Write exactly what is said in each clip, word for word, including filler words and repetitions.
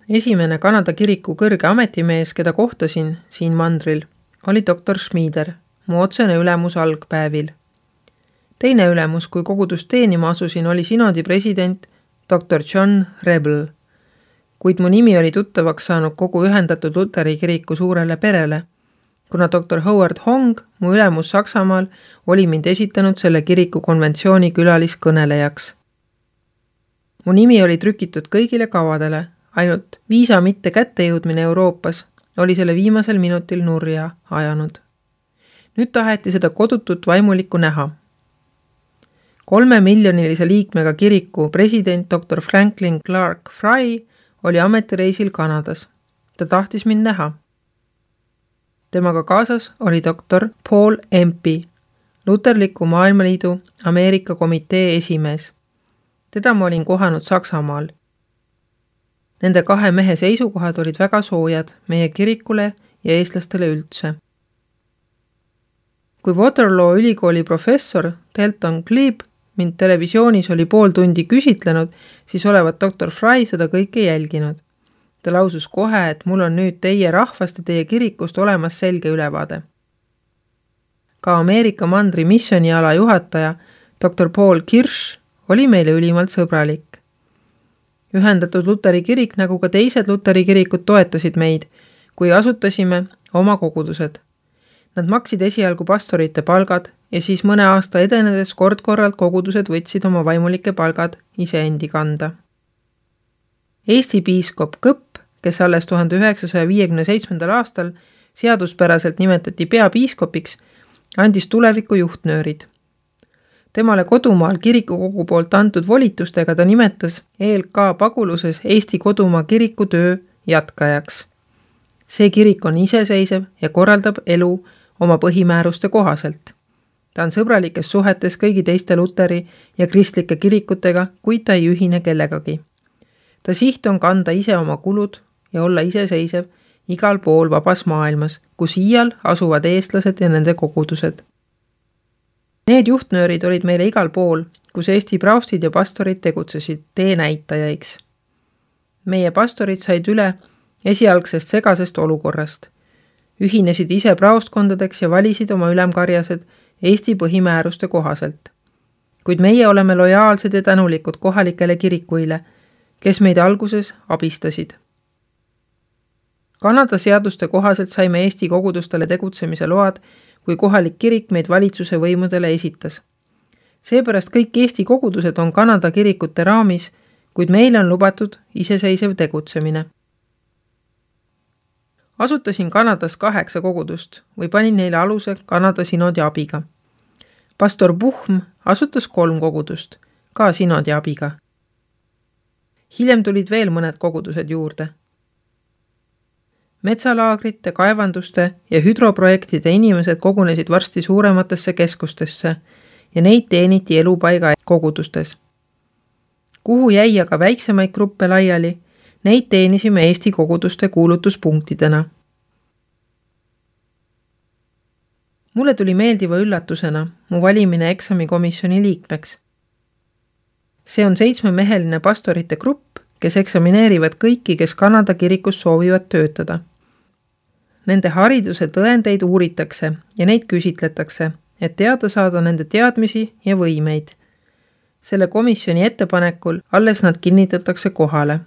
Esimene Kanada kiriku kõrge ametimees, keda kohtasin siin mandril, oli doktor Schmieder, mu otsene ülemus algpäevil. Teine ülemus, kui kogudust teenima asusin, oli sinodi president doktor John Rebel, kuid mu nimi oli tuttavaks saanud kogu ühendatud Luteri kiriku suurele perele, kuna doktor Howard Hong, mu ülemus Saksamaal, oli mind esitanud selle kiriku konventsiooni külaliskõnelejaks. Mu nimi oli trükitud kõigile kavadele, ainult viisa mitte kättejõudmine Euroopas oli selle viimasel minutil nurja ajanud. Nüüd taheti seda kodutut vaimulikku näha. Kolme miljonilise liikmega kiriku president doktor Franklin Clark Fry oli ametireisil Kanadas. Ta tahtis mind näha. Temaga kaasas oli doktor Paul Empey, Luterliku Maailmaliidu Ameerika komitee esimees. Teda ma olin kohanud Saksamaal. Nende kahe mehe seisukohad olid väga soojad meie kirikule ja eestlastele üldse. Kui Waterloo ülikooli professor Delton Glebe mind televisioonis oli pool tundi küsitlenud, siis olevat doktor Fry seda kõike jälginud. Ta lausus kohe, et mul on nüüd teie rahvast ja teie kirikust olemas selge ülevaade. Ka Ameerika mandri missioniala juhataja doktor Paul Kirsch oli meile ülimalt sõbralik. Ühendatud Luteri kirik nagu ka teised Luteri kirikud toetasid meid, kui asutasime oma kogudused. Nad maksid esialgu pastorite palgad ja siis mõne aasta edenedes kord-korralt kogudused võtsid oma vaimulike palgad iseendi kanda. Eesti piiskop Kõpp, kes alles tuhande üheksasaja viiekümne seitsmendal aastal seaduspäraselt nimetati peapiiskopiks, andis tuleviku juhtnöörid. Temale kodumaal kirikukogu poolt antud volitustega ta nimetas E L K paguluses Eesti kodumaa kiriku töö jätkajaks. See kirik on iseseisev ja korraldab elu oma põhimääruste kohaselt. Ta on sõbralikes suhetes kõigi teiste Luteri ja kristlike kirikutega, kuid ta ei ühine kellegagi. Ta siht on kanda ise oma kulud ja olla iseseisev igal pool vabas maailmas, kus iial asuvad eestlased ja nende kogudused. Need juhtnöörid olid meile igal pool, kus Eesti praustid ja pastorid tegutsesid teenäitajaiks. Meie pastorid said üle esialgsest segasest olukorrast. Ühinesid ise praostkondadeks ja valisid oma ülemkarjased Eesti põhimääruste kohaselt. Kuid meie oleme lojaalsed ja tänulikud kohalikele kirikuile, kes meid alguses abistasid. Kanada seaduste kohaselt saime Eesti kogudustele tegutsemise load, kui kohalik kirik meid valitsuse võimudele esitas. Seepärast kõik Eesti kogudused on Kanada kirikute raamis, kuid meile on lubatud iseseisev tegutsemine. Asutasin Kanadas kaheksa kogudust või panin neile aluse Kanada sinodi abiga. Pastor Buhm asutas kolm kogudust, ka sinodi abiga. Hiljem tulid veel mõned kogudused juurde. Metsalaagrite, kaevanduste ja hüdroprojektide inimesed kogunesid varsti suurematesse keskustesse ja neid teeniti elupaiga kogudustes. Kuhu jäi aga väiksemaid gruppe laiali, neid teenisime Eesti koguduste kuulutuspunktidena. Mulle tuli meeldiva üllatusena mu valimine eksamikomisjoni liikmeks. See on seitsmemeheline pastorite grupp, kes eksamineerivad kõiki, kes Kanada kirikus soovivad töötada. Nende hariduse tõendeid uuritakse ja neid küsitletakse, et teada saada nende teadmisi ja võimeid. Selle komisjoni ettepanekul alles nad kinnitatakse kohale.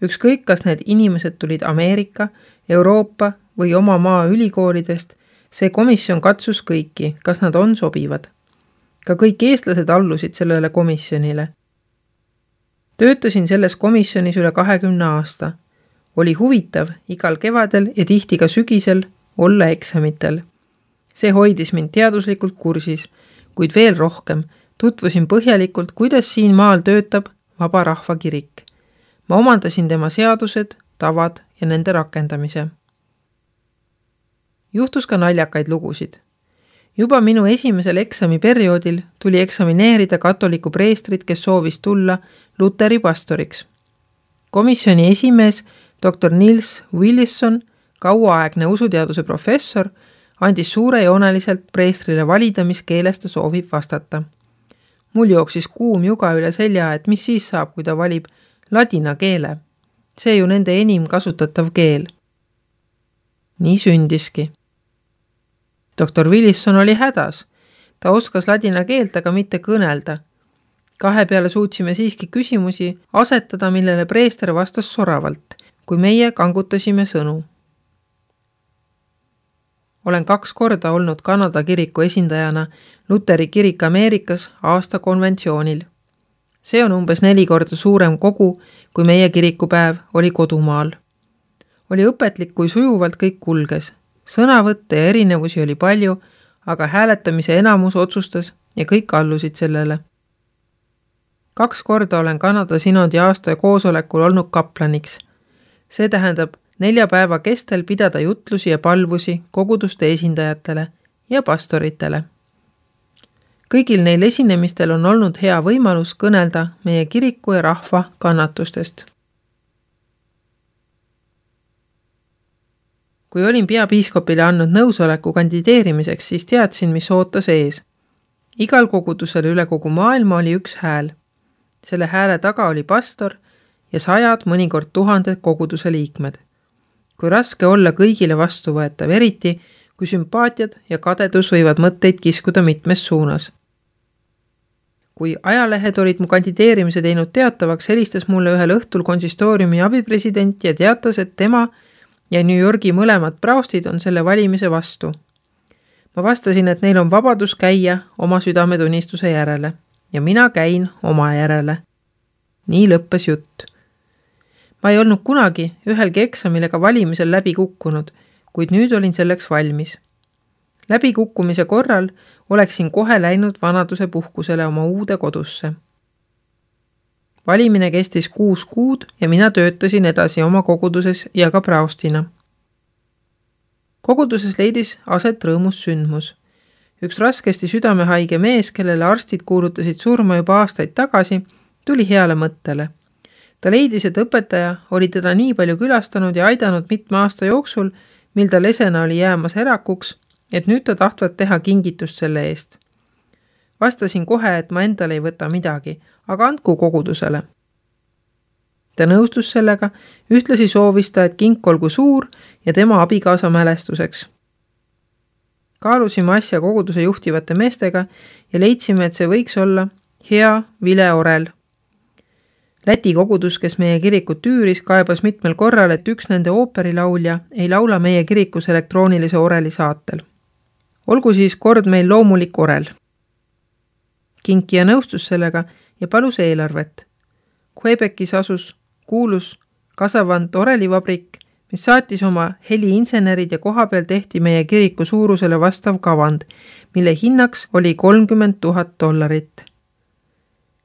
Ükskõik, kas need inimesed tulid Ameerika, Euroopa või oma maa ülikoolidest, see komisjon katsus kõiki, kas nad on sobivad. Ka kõik eestlased allusid sellele komisjonile. Töötasin selles komisjonis üle kahekümne aasta. Oli huvitav igal kevadel ja tihti ka sügisel olla eksamitel. See hoidis mind teaduslikult kursis, kuid veel rohkem tutvusin põhjalikult, kuidas siin maal töötab vaba rahva kirik. Ma omandasin tema seadused, tavad ja nende rakendamise. Juhtus ka naljakaid lugusid. Juba minu esimesel eksamiperioodil tuli eksamineerida katoliku preestrit, kes soovis tulla Luteri pastoriks. Komisjoni esimees doktor Nils Willison, kauaaegne usuteaduse professor, andis suurejooneliselt preestrile valida, mis keeles ta soovib vastata. Mul jooksis kuum juga üle selja, et mis siis saab, kui ta valib ladina keele. See ju nende enim kasutatav keel. Nii sündiski. doktor Wilson oli hädas. Ta oskas ladina keelt, aga mitte kõnelda. Kahe peale suutsime siiski küsimusi asetada, millele preester vastas soravalt, kui meie kangutasime sõnu. Olen kaks korda olnud Kanada kiriku esindajana Luteri kirik Ameerikas aasta konventsioonil. See on umbes neli korda suurem kogu, kui meie kirikupäev oli kodumaal. Oli õpetlik, kui sujuvalt kõik kulges. Sõnavõtte ja erinevusi oli palju, aga hääletamise enamus otsustas ja kõik allusid sellele. Kaks korda olen Kanada sinodi aasta koosolekul olnud kaplaniks. See tähendab nelja päeva kestel pidada jutlusi ja palvusi koguduste esindajatele ja pastoritele. Kõigil neil esinemistel on olnud hea võimalus kõnelda meie kiriku ja rahva kannatustest. Kui olin peapiiskopile andnud nõusoleku kandideerimiseks, siis teadsin, mis ootas ees. Igal kogudusel üle kogu maailma oli üks hääl. Selle hääle taga oli pastor ja sajad, mõnikord tuhanded koguduse liikmed. Kui raske olla kõigile vastuvõetav, eriti kui sümpaatiad ja kadedus võivad mõtteid kiskuda mitmes suunas. Kui ajalehed olid mu kandideerimise teinud teatavaks, helistas mulle ühel õhtul konsistooriumi abipresident ja teatas, et tema ja New Yorgi mõlemad praostid on selle valimise vastu. Ma vastasin, et neil on vabadus käia oma südametunnistuse järele ja mina käin oma järele. Nii lõppes jutt. Ma ei olnud kunagi ühelgi eksamil ega valimisel läbi kukkunud, kuid nüüd olin selleks valmis. Läbi kukkumise korral oleksin kohe läinud vanaduse puhkusele oma uude kodusse. Valimine kestis kuus kuud ja mina töötasin edasi oma koguduses ja ka praostina. Koguduses leidis aset rõõmus sündmus. Üks raskesti südamehaige mees, kellele arstid kuulutasid surma juba aastaid tagasi, tuli heale mõttele. Ta leidis, et õpetaja oli teda nii palju külastanud ja aidanud mitme aasta jooksul, mil ta lesena oli jäämas erakuks, et nüüd ta tahtvat teha kingitust selle eest. Vastasin kohe, et ma endale ei võta midagi, aga andku kogudusele. Ta nõustus sellega, ühtlasi soovis ta, et kink olgu suur ja tema abikaasa mälestuseks. Kaalusime asja koguduse juhtivate meestega ja leidsime, et see võiks olla hea Vile Orel. Läti kogudus, kes meie kirikut üüris, kaebas mitmel korral, et üks nende ooperilaulja ei laula meie kirikus elektroonilise oreli saatel. Olgu siis kord meil loomulik orel. Kinkija nõustus sellega ja palus eelarvet. Quebecis asus kuulus Kasavant orelivabrik, mis saatis oma heliinsenerid ja koha peal tehti meie kiriku suurusele vastav kavand, mille hinnaks oli kolmkümmend tuhat dollarit.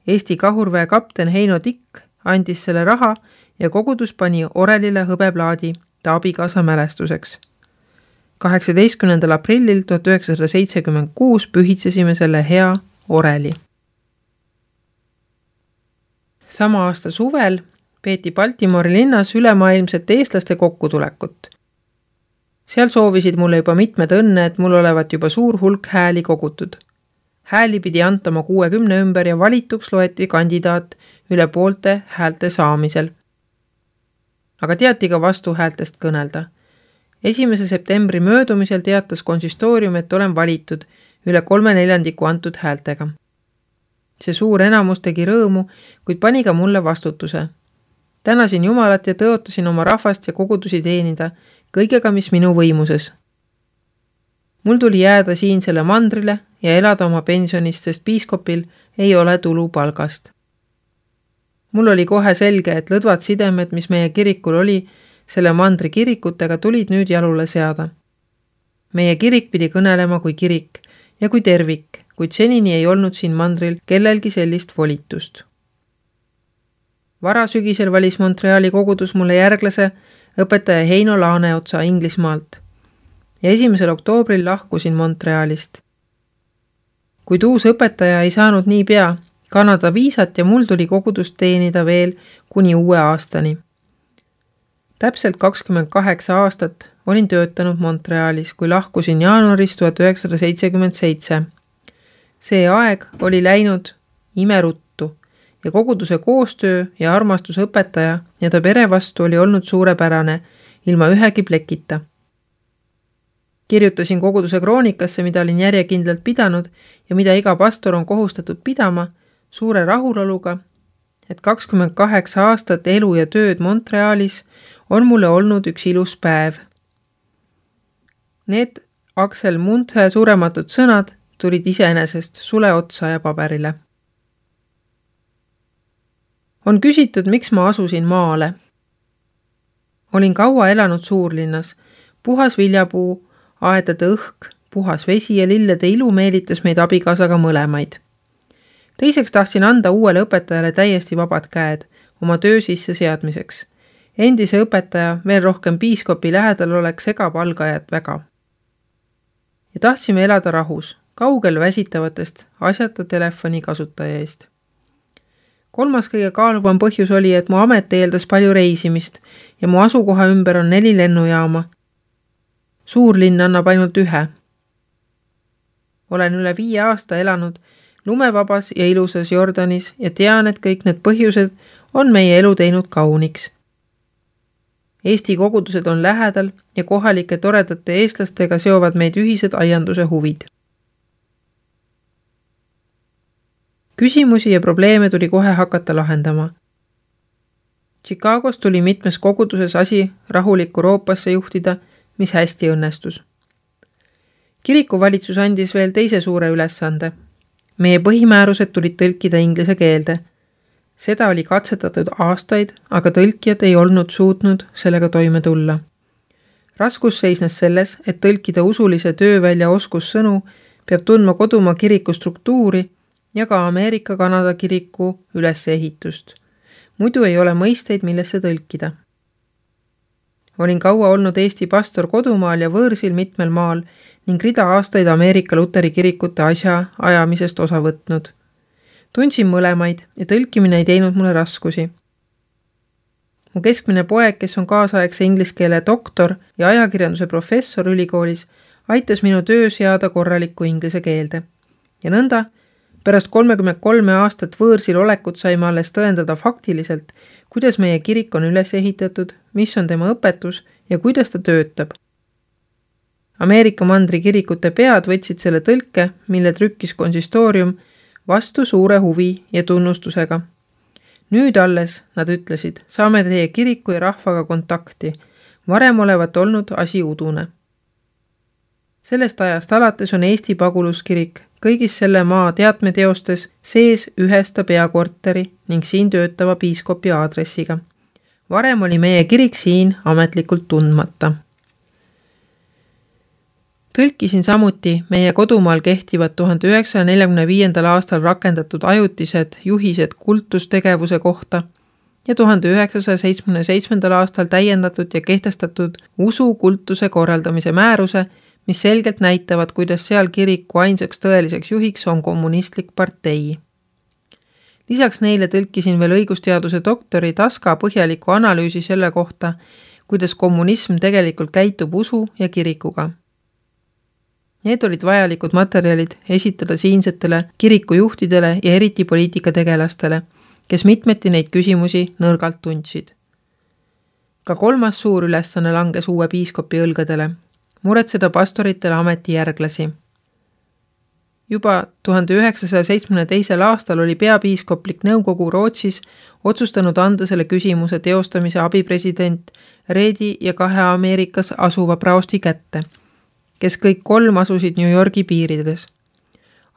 Eesti kahurväe kapten Heino Tikk andis selle raha ja kogudus pani orelile hõbeplaadi ta abikaasa mälestuseks. kaheksateistkümnendal aprillil tuhat üheksasada seitsekümmend kuus pühitsesime selle hea oreli. Sama aasta suvel peeti Baltimori linnas ülemaailmset eestlaste kokkutulekut. Seal soovisid mulle juba mitmed õnne, et mul olevat juba suur hulk hääli kogutud. Hääli pidi antama kuuekümne ümber ja valituks loeti kandidaat üle poolte häälte saamisel. Aga teati ka vastuhäältest kõnelda. esimese septembri möödumisel teatas konsistoorium, et olen valitud üle kolme neljandiku antud häältega. See suur enamus tegi rõõmu, kuid pani ka mulle vastutuse. Tänasin Jumalat ja tõotasin oma rahvast ja kogudusi teenida kõigega, mis minu võimuses. Mul tuli jääda siinsele mandrile ja elada oma pensionist, sest piiskopil ei ole tulu palgast. Mul oli kohe selge, et lõdvad sidemed, mis meie kirikul oli, selle mandri kirikutega tulid nüüd jalule seada. Meie kirik pidi kõnelema kui kirik ja kui tervik, kuid senini ei olnud siin mandril kellelgi sellist volitust. Varasügisel valis Montreali kogudus mulle järglase õpetaja Heino Laaneotsa Inglismaalt ja esimesel oktoobril lahkusin Montrealist. Kuid uus õpetaja ei saanud nii pea Kanada viisat ja mul tuli kogudust teenida veel kuni uue aastani. Täpselt kakskümmend kaheksa aastat olin töötanud Montrealis, kui lahkusin jaanuaris tuhat üheksasada seitsekümmend seitse. See aeg oli läinud imeruttu ja koguduse koostöö ja armastus õpetaja ja ta pere vastu oli olnud suurepärane, ilma ühegi plekita. Kirjutasin koguduse kroonikasse, mida olin järjekindlalt pidanud ja mida iga pastor on kohustatud pidama, suure rahuloluga, et kakskümmend kaheksa aastat elu ja tööd Montrealis on mulle olnud üks ilus päev. Need Aksel Munthe surematud sõnad tulid iseenesest sule otsa ja paberile. On küsitud, miks ma asusin maale. Olin kaua elanud suurlinnas, puhas viljapuu, aedade õhk, puhas vesi ja lillede ilu meelitas meid abikaasaga mõlemaid. Teiseks tahtsin anda uuele õpetajale täiesti vabad käed oma töö sisse seadmiseks. Endise õpetaja veel rohkem piiskopi lähedal oleks segab algajat väga. Ja tahtsime elada rahus, kaugel väsitavatest asjata telefoni kasutaja eest. Kolmas kõige kaaluvam põhjus oli, et mu amet eeldas palju reisimist ja mu asukoha ümber on neli lennujaama. Suurlinn annab ainult ühe. Olen üle viie aasta elanud lumevabas ja ilusas Jordanis ja tean, et kõik need põhjused on meie elu teinud kauniks. Eesti kogudused on lähedal ja kohalike toredate eestlastega seovad meid ühised aianduse huvid. Küsimusi ja probleeme tuli kohe hakata lahendama. Chicagos tuli mitmes koguduses asi rahulikku Euroopasse juhtida, mis hästi õnnestus. Kirikuvalitsus andis veel teise suure ülesande. Meie põhimäärused tulid tõlkida inglise keelde. Seda oli katsetatud aastaid, aga tõlkijad ei olnud suutnud sellega toime tulla. Raskus seisnes selles, et tõlkida usulise töövälja oskussõnu peab tundma kodumaa kiriku struktuuri ja ka Ameerika-Kanada kiriku ülesehitust. Muidu ei ole mõisteid, millesse tõlkida. Olin kaua olnud Eesti pastor kodumaal ja võõrsil mitmel maal ning rida aastaid Ameerika Luteri kirikute asja ajamisest osa võtnud. Tundsin mõlemaid ja tõlkimine ei teinud mulle raskusi. Mu keskmine poeg, kes on kaasaegse ingliskeele doktor ja ajakirjanduse professor ülikoolis, aitas minu töö seada korralikku inglise keelde. Ja nõnda, pärast kolmekümmend kolme aastat võõrsil olekut saime alles tõendada faktiliselt, kuidas meie kirik on üles ehitatud, mis on tema õpetus ja kuidas ta töötab. Ameerika mandri kirikute pead võtsid selle tõlke, mille trükkis konsistoorium, vastu suure huvi ja tunnustusega. Nüüd alles, nad ütlesid, saame teie kiriku ja rahvaga kontakti. Varem olevat olnud asi udune. Sellest ajast alates on Eesti paguluskirik kõigis selle maa teatmeteostes sees ühesta peakorteri ning siin töötava piiskopi aadressiga. Varem oli meie kirik siin ametlikult tundmata. Tõlkisin samuti meie kodumaal kehtivad tuhande üheksasaja neljakümne viiendal aastal rakendatud ajutised juhised kultustegevuse kohta ja tuhande üheksasaja seitsmekümne seitsmendal aastal täiendatud ja kehtestatud usu kultuse korraldamise määruse, mis selgelt näitavad, kuidas seal kiriku ainsaks tõeliseks juhiks on kommunistlik partei. Lisaks neile tõlkisin veel õigusteaduse doktori Taska põhjaliku analüüsi selle kohta, kuidas kommunism tegelikult käitub usu ja kirikuga. Need olid vajalikud materjalid esitada siinsetele kirikujuhtidele ja eriti poliitikategelastele, kes mitmeti neid küsimusi nõrgalt tundsid. Ka kolmas suur ülesanne langes uue piiskopi õlgadele, muretseda pastoritele ametijärglasi. Juba tuhande üheksasaja seitsmekümne teisel aastal oli peapiiskoplik nõukogu Rootsis otsustanud anda selle küsimuse teostamise abipresident Reedi ja kahe Ameerikas asuva praosti kätte, kes kõik kolm asusid New Yorgi piirides.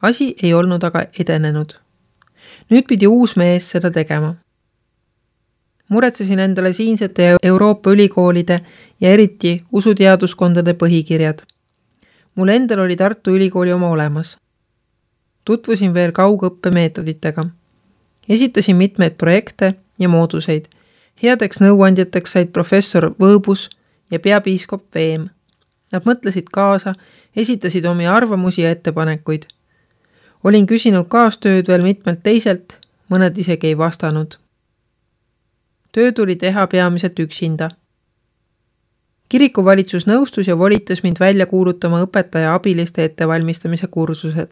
Asi ei olnud aga edenenud. Nüüd pidi uus mees seda tegema. Muretsesin endale siinsete Euroopa ülikoolide ja eriti usuteaduskondade põhikirjad. Mul endal oli Tartu ülikooli oma olemas. Tutvusin veel kaugõppemeetoditega. Esitasin mitmeid projekte ja mooduseid. Headeks nõuandjateks said professor Võõbus ja peapiiskop Veem. Nad mõtlesid kaasa, esitasid omi arvamusi ja ettepanekuid. Olin küsinud kaastööd veel mitmelt teiselt, mõned isegi ei vastanud. Töö tuli teha peamiselt üksinda. Kirikuvalitsus nõustus ja volitas mind välja kuulutama õpetaja abiliste ettevalmistamise kursused.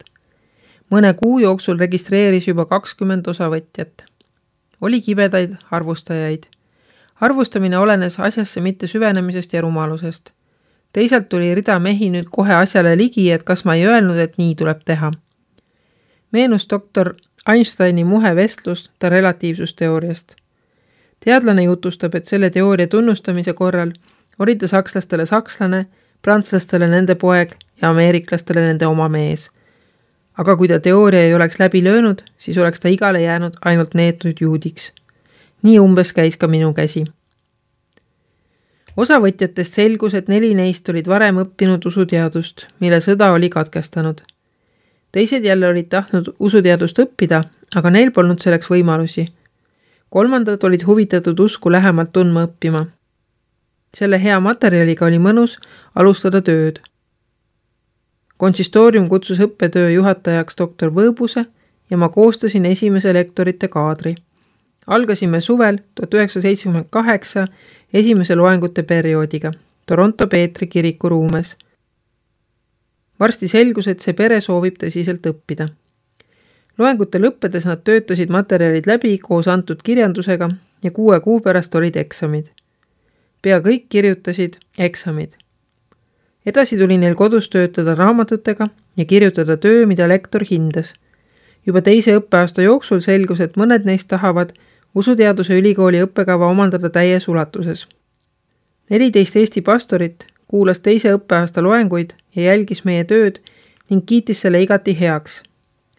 Mõne kuu jooksul registreeris juba kakskümmend osavõtjat. Oli kibedaid arvustajaid. Arvustamine olenes asjasse mitte süvenemisest ja rumalusest. Teisalt tuli rida mehi nüüd kohe asjale ligi, et kas ma ei öelnud, et nii tuleb teha. Meenus doktor Einsteini muhe vestlus ta relatiivsusteooriast. Teadlane jutustab, et selle teooria tunnustamise korral oli ta sakslastele sakslane, prantslastele nende poeg ja ameeriklastele nende oma mees. Aga kui ta teooria ei oleks läbi löönud, siis oleks ta igale jäänud ainult neetud juudiks. Nii umbes käis ka minu käsi. Osavõtjatest selgus, et neli neist olid varem õppinud usuteadust, mille sõda oli katkestanud. Teised jälle olid tahtnud usuteadust õppida, aga neil polnud selleks võimalusi. Kolmandad olid huvitatud usku lähemalt tundma õppima. Selle hea materjaliga oli mõnus alustada tööd. Konsistoorium kutsus õppetöö juhatajaks doktor Võõbuse ja ma koostasin esimese lektorite kaadri. Algasime suvel tuhat üheksasada seitsekümmend kaheksa esimese loengute perioodiga Toronto Peetri kiriku ruumes. Varsti selgus, et see pere soovib tõsiselt õppida. Loengute lõppedes nad töötasid materjalid läbi koos antud kirjandusega ja kuue kuu pärast olid eksamid. Pea kõik kirjutasid eksamid. Edasi tuli neil kodus töötada raamatutega ja kirjutada töö, mida lektor hindas. Juba teise õppeaasta jooksul selgus, et mõned neist tahavad usuteaduse ülikooli õppekava omandada täies ulatuses. neliteist Eesti pastorit kuulas teise õppeaasta loenguid ja jälgis meie tööd ning kiitis selle igati heaks.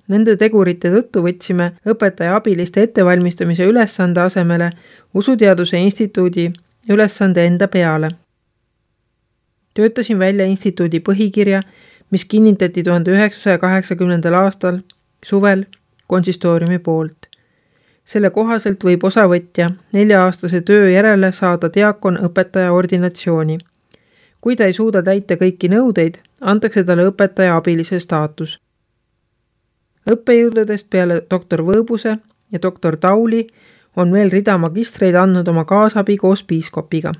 Nende tegurite tõttu võtsime õpetaja abiliste ettevalmistamise ülesande asemele Usuteaduse instituudi ülesande enda peale. Töötasin välja instituudi põhikirja, mis kinnitati tuhande üheksasaja kaheksakümnendal aastal suvel konsistooriumi poolt. Selle kohaselt võib osavõtja nelja-aastase töö järele saada diakon õpetaja ordinatsiooni. Kui ta ei suuda täita kõiki nõudeid, antakse talle õpetaja abilise staatus. Õppejõududest peale doktor Võõbuse ja doktor Tauli on veel rida magistreid andnud oma kaasabi koos piiskopiga.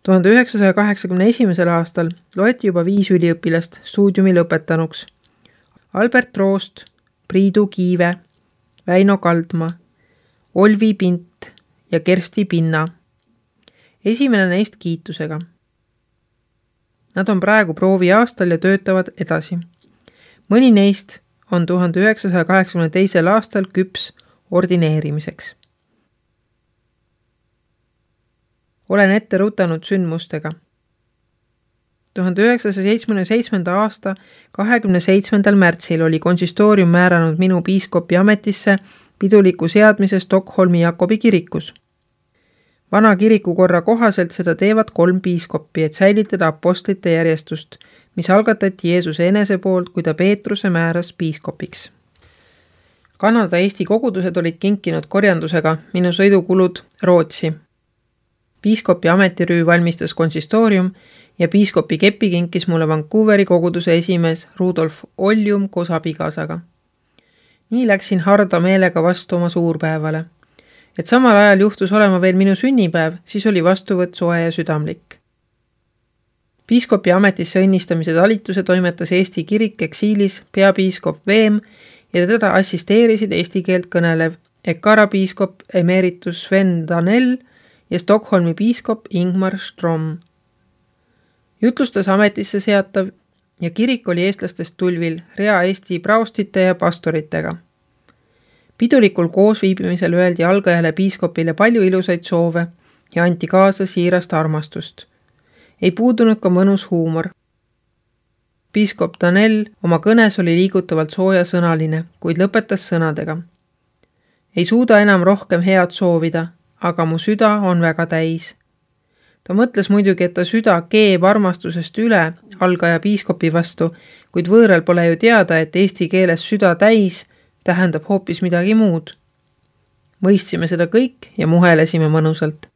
tuhande üheksasaja kaheksakümne esimesel aastal loeti juba viis üliõpilast stuudiumi lõpetanuks. Albert Roost, Priidu Kiive, Väino Kaldma, Olvi Pint ja Kersti Pinna. Esimene neist kiitusega. Nad on praegu proovi aastal ja töötavad edasi. Mõni neist on tuhande üheksasaja kaheksakümne teisel aastal küps ordineerimiseks. Olen ette rutanud sündmustega. tuhande üheksasaja seitsmekümne seitsmenda aasta kahekümne seitsmendal märtsil oli konsistoorium määranud minu piiskopi ametisse piduliku seadmise Stockholmi Jakobi kirikus. Vana kirikukorra kohaselt seda teevad kolm piiskoppi, et säilitada apostlite järjestust, mis algatati Jeesuse enese poolt, kui ta Peetruse määras piiskopiks. Kanada Eesti kogudused olid kinkinud korjandusega minu sõidukulud Rootsi. Piiskopi ametirüü valmistas konsistoorium ja piiskopi kepi kinkis mulle Vancouveri koguduse esimees Rudolf Oljum koos abikaasaga. Nii läksin harda meelega vastu oma suurpäevale. Et samal ajal juhtus olema veel minu sünnipäev, siis oli vastuvõtt soe ja südamlik. Piiskopi ametisse õnnistamise talituse toimetas Eesti kirik eksiilis peapiiskop Veem ja teda assisteerisid eesti keelt kõnelev Ekara piiskop emeritus Sven Danell ja Stockholmi piiskop Ingmar Strom. Jutlustas ametisse seatav ja kirik oli eestlastest tulvil rea Eesti praostite ja pastoritega. Pidulikul koosviibimisel öeldi algajale piiskopile palju ilusaid soove ja anti kaasa siirast armastust. Ei puudunud ka mõnus huumor. Piiskop Danell oma kõnes oli liigutavalt soojasõnaline, kuid lõpetas sõnadega. Ei suuda enam rohkem head soovida, aga mu süda on väga täis. Ta mõtles muidugi, et ta süda keeb armastusest üle algaja piiskopi vastu, kuid võõral pole ju teada, et eesti keeles süda täis tähendab hoopis midagi muud. Mõistsime seda kõik ja muhelesime mõnusalt.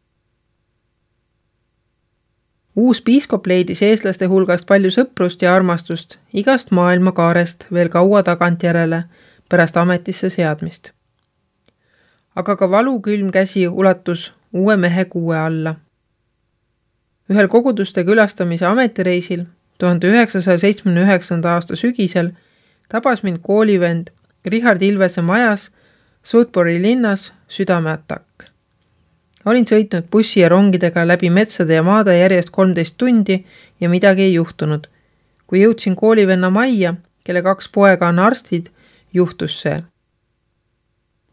Uus piiskop leidis eestlaste hulgast palju sõprust ja armastust igast maailma kaarest veel kaua tagantjärele pärast ametisse seadmist. Aga ka valukülm käsi ulatus uue mehe kuue alla. Ühel koguduste külastamise ametireisil tuhande üheksasaja seitsmekümne üheksanda aasta sügisel tabas mind koolivend Richard Ilvese majas Sudbury linnas südameatakk. Olin sõitnud bussi ja rongidega läbi metsade ja maade järjest kolmteist tundi ja midagi ei juhtunud. Kui jõudsin koolivenna majja, kelle kaks poega on arstid, juhtus see.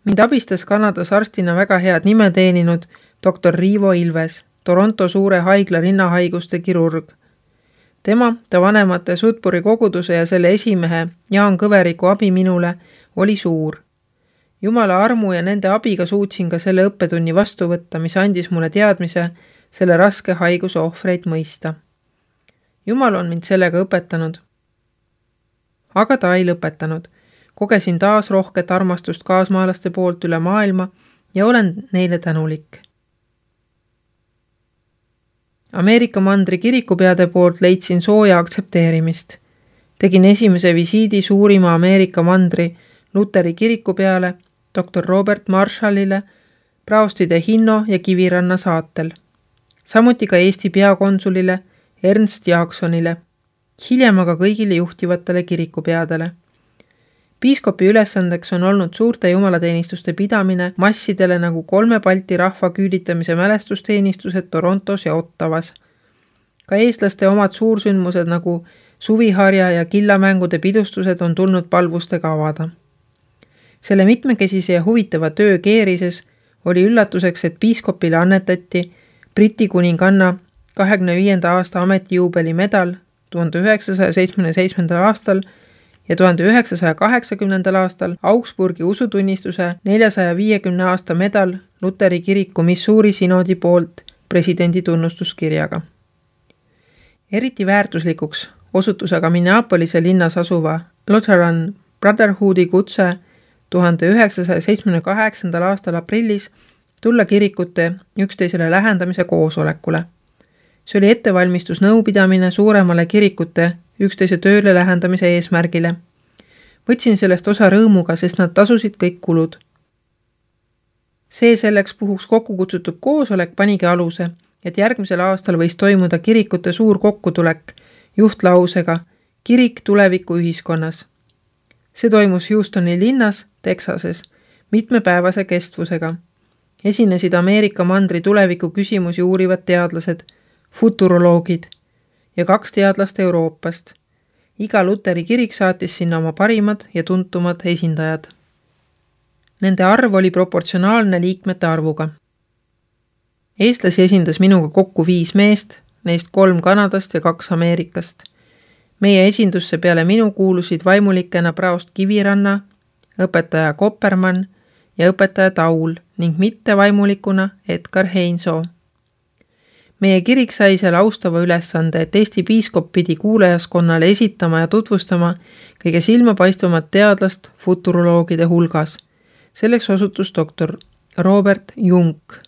Mind abistas Kanadas arstina väga head nime teeninud doktor Riivo Ilves, Toronto suure haigla rinnahaiguste kirurg. Tema, ta vanemate Sudbury koguduse ja selle esimehe Jaan Kõveriku abi minule oli suur. Jumala armu ja nende abiga suutsin ka selle õppetunni vastu võtta, mis andis mulle teadmise selle raske haiguse ohvreid mõista. Jumal on mind sellega õpetanud. Aga ta ei lõpetanud. Kogesin taas rohket armastust kaasmaalaste poolt üle maailma ja olen neile tänulik. Ameerika mandri kirikupeade poolt leidsin sooja aktsepteerimist. Tegin esimese visiidi suurima Ameerika mandri Luteri kiriku peale, doktor Robert Marshallile, praostide Hinno ja Kiviranna saatel. Samuti ka Eesti peakonsulile Ernst Jaaksonile, hiljem aga kõigile juhtivatele kirikupeadele. Piiskopi ülesandeks on olnud suurte jumalateenistuste pidamine massidele nagu kolme Balti rahva küülitamise mälestusteenistused Torontos ja Ottavas. Ka eestlaste omad suursündmused nagu suviharja ja killamängude pidustused on tulnud palvustega avada. Selle mitmekesise ja huvitava töö keerises oli üllatuseks, et piiskopile annetati Briti kuninganna kahekümne viienda aasta ametijuubeli medal tuhande üheksasaja seitsmekümne seitsmendal aastal ja tuhande üheksasaja kaheksakümnendal aastal Augsburgi usutunnistuse neljasaja viiekümne aasta medal Luteri kiriku Missouri sinodi poolt presidendi tunnustuskirjaga. Eriti väärtuslikuks osutus aga Minneapolise linnas asuva Lutheran Brotherhoodi kutse tuhande üheksasaja seitsmekümne kaheksandal aastal aprillis tulla kirikute üksteisele lähendamise koosolekule. See oli ettevalmistus nõupidamine suuremale kirikute üksteise tööle lähendamise eesmärgile. Võtsin sellest osa rõõmuga, sest nad tasusid kõik kulud. See selleks puhuks kokku kutsutud koosolek panigi aluse, et järgmisel aastal võis toimuda kirikute suur kokkutulek juhtlausega Kirik tuleviku ühiskonnas. See toimus Houstoni linnas, Texases, mitmepäevase kestvusega. Esinesid Ameerika mandri tuleviku küsimusi uurivad teadlased, futuroloogid ja kaks teadlast Euroopast. Iga Luteri kirik saatis sinna oma parimad ja tuntumad esindajad. Nende arv oli proportsionaalne liikmete arvuga. Eestlasi esindas minuga kokku viis meest, neist kolm Kanadast ja kaks Ameerikast. Meie esindusse peale minu kuulusid vaimulikena praost Kiviranna, õpetaja Koppermann ja õpetaja Taul ning mitte vaimulikuna Edgar Heinsoo. Meie kirik sai seal austava ülesande, et Eesti piiskop pidi kuulajaskonnale esitama ja tutvustama kõige silmapaistvamat teadlast futuroloogide hulgas. Selleks osutus doktor Robert Junk.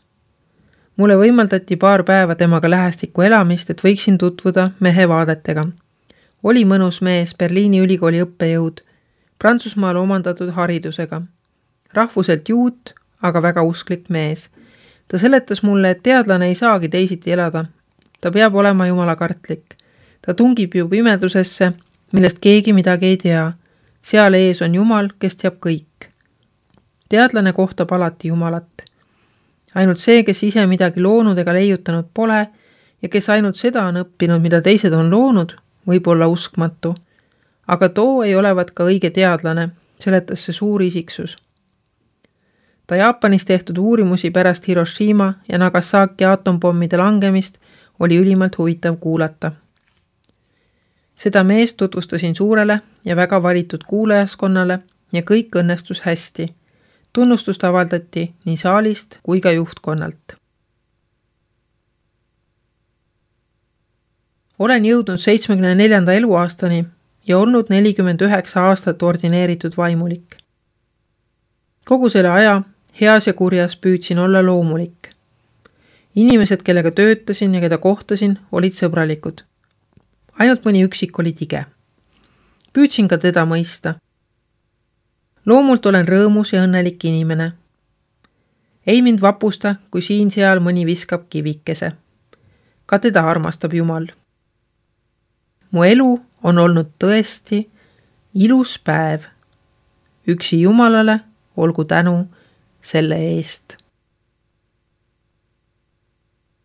Mulle võimaldati paar päeva temaga lähestikku elamist, et võiksin tutvuda mehe vaadetega. Oli mõnus mees, Berliini ülikooli õppejõud, Prantsusmaal omandatud haridusega. Rahvuselt juut, aga väga usklik mees. Ta seletas mulle, et teadlane ei saagi teisiti elada. Ta peab olema jumalakartlik. Ta tungib ju pimedusesse, millest keegi midagi ei tea. Seal ees on Jumal, kes teab kõik. Teadlane kohtab alati Jumalat. Ainult see, kes ise midagi loonud ega leiutanud pole ja kes ainult seda on õppinud, mida teised on loonud, võib olla uskmatu. Aga too ei olevat ka õige teadlane, seletas see suur isiksus. Ta Jaapanis tehtud uurimusi pärast Hiroshima ja Nagasaki atompommide langemist oli ülimalt huvitav kuulata. Seda meest tutvustasin suurele ja väga valitud kuulajaskonnale ja kõik õnnestus hästi. Tunnustust avaldati nii saalist kui ka juhtkonnalt. Olen jõudnud seitsmekümne neljanda eluaastani ja olnud nelikümmend üheksa aastat ordineeritud vaimulik. Kogu selle aja heas ja kurjas püüdsin olla loomulik. Inimesed, kellega töötasin ja keda kohtasin, olid sõbralikud. Ainult mõni üksik oli tige. Püüdsin ka teda mõista. Loomult olen rõõmus ja õnnelik inimene. Ei mind vapusta, kui siin-seal mõni viskab kivikese. Ka teda armastab Jumal. Mu elu on olnud tõesti ilus päev. Üksi Jumalale olgu tänu selle eest.